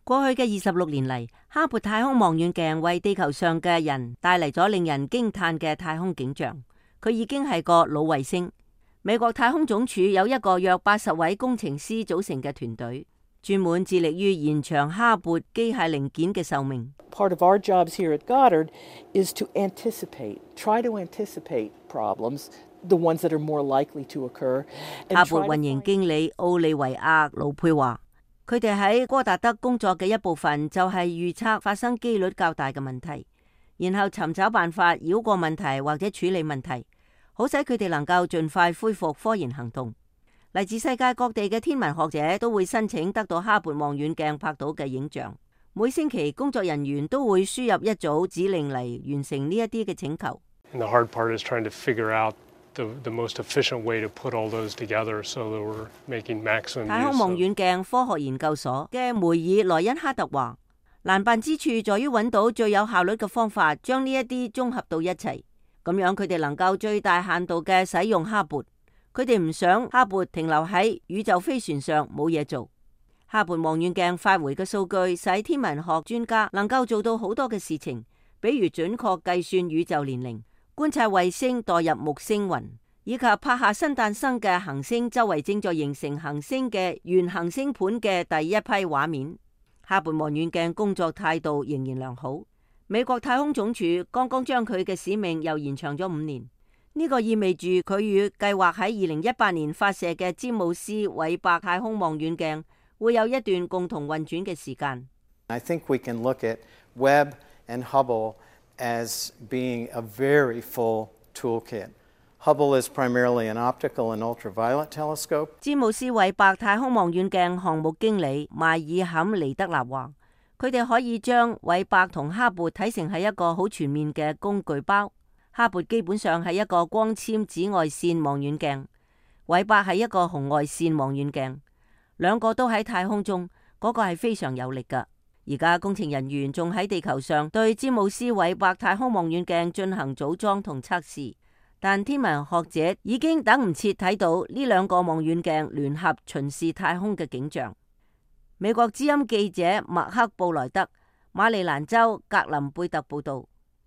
過去嘅26年嚟，哈勃太空望遠鏡為地球上嘅人帶嚟咗令人驚嘆嘅太空景象。佢已經係個老衛星。美國太空總署有一個約80位工程師組成嘅團隊，專門致力於延長哈勃機械零件嘅壽命。Part of our jobs here at Goddard is to try to anticipate problems, the ones that are more likely to occur. 哈勃運營經理奧利維亞·盧佩話，佢哋喺戈達德工作嘅一部分就係預測發生機率較大嘅問題，然後尋找辦法繞過問題或者處理問題，好使佢哋能夠盡快恢復科研行動。嚟自世界各地嘅天文學者都會申請得到哈勃望遠鏡拍到嘅影像。每星期工作人員都會輸入一組指令嚟完成呢一啲嘅請求。And the hard part is trying to figure out the most efficient way to put all those together so that we're making maximum use of. 太空望遠鏡科學研究所嘅梅爾萊恩哈特話，難辦之處在於揾到最有效率嘅方法，將呢一啲綜合到一齊，咁樣佢哋能夠最大限度嘅使用哈勃。佢哋唔想哈勃停留喺宇宙飛船上冇嘢做。哈勃望遠鏡發回嘅數據使天文學專家能夠做到好多嘅事情，比如準確計算宇宙年齡、觀察衛星墮入木星雲，以及拍下新誕生嘅行星周圍正在形成行星嘅原行星盤嘅第一批畫面。哈勃望遠鏡工作態度仍然良好。美國太空總署剛剛將佢嘅使命又延長咗5年，呢個意味住佢與計劃喺2018年發射嘅詹姆斯韋伯太空望遠鏡會有一段共同運轉嘅時間。I think we can look at Webb and Hubble as being a very full toolkit. Hubble is primarily an optical and ultraviolet telescope. 詹姆斯韋伯太空望遠鏡項目經理邁爾坎尼德納話，佢哋可以將韋伯同哈勃睇成係一個好全面嘅工具包。哈勃基本上係一個光纖紫外線望遠鏡，韋伯係一個紅外線望遠鏡。兩個都喺太空中，嗰個係非常有力㗎。而家工程人員仲喺地球上對詹姆斯韋伯太空望遠鏡進行組裝同測試，但天文學者已經等唔切睇到呢兩個望遠鏡聯合巡視太空嘅景象。美國之音記者麥克布萊德，馬里蘭州格林貝特報道。